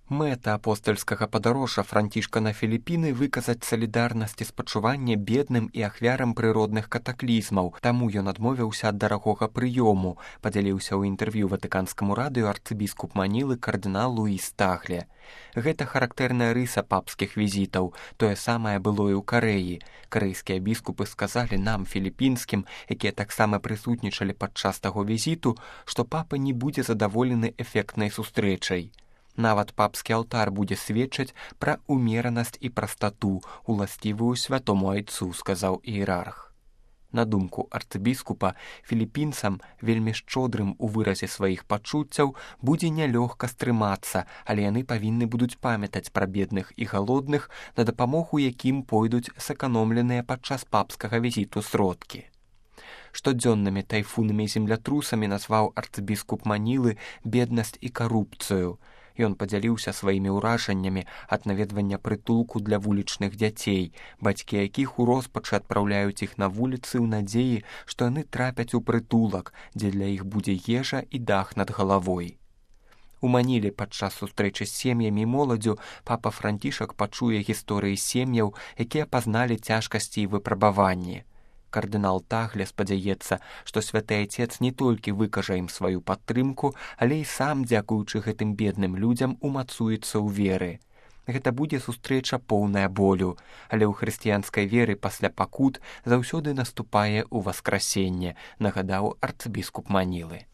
Мэта апостальскага падарожжа Францішка на Філіпіны выказаць салідарнасць і спачуванне бедным і ахвярам прыродных катаклізмаў, таму ён адмовіўся ад дарагога прыёму, падзяліўся ў інтэрв'ю ватыканскаму радыё арцыбіскуп Манілы кардынал Луіс Тагле. Гэта характэрная рыса папскіх візітаў, тое самае было і ў Карэі. Карэйскія біскупы сказалі нам, філіпінскім, якія таксама прысутнічалі падчас таго візіту, што папа не будзе задаволены эфектнай сустрэчай. Нават папскі алтар будзе сведчыць пра умеранасць і прастату, уласцівую святому айцу, сказаў іерарх. На думку арцыбіскупа, філіпінцам, вельмі шчодрым у выразе сваіх пачуццяў, будзе нялёгка стрымацца, але яны павінны будуць памятаць пра бедных і галодных, на дапамогу якім пойдуць сэканомленыя падчас папскага візіту сродкі. Штодзённымі тайфунамі і землятрусамі назваў арцыбіскуп Манілы беднасць і карупцыю. Ён падзяліўся сваімі ўражаннямі ад наведвання прытулку для вулічных дзяцей, бацькі якіх у роспачы адпраўляюць іх на вуліцы ў надзеі, што яны трапяць у прытулак, дзе для іх будзе ежа і дах над галавой. У Маніле падчас сустрэчы з сем'ямі і моладзю папа Францішак пачуе гісторыі сем'яў, якія пазналі цяжкасці і выпрабаванні. Кардынал Тагле спадзяецца, што святы айцец не толькі выкажа ім сваю падтрымку, але і сам, дзякуючы гэтым бедным людзям, умацуецца ў веры. Гэта будзе сустрэча поўная болю, але ў хрысціянскай веры пасля пакут заўсёды наступае ў васкрасенне, нагадаў арцыбіскуп Манілы.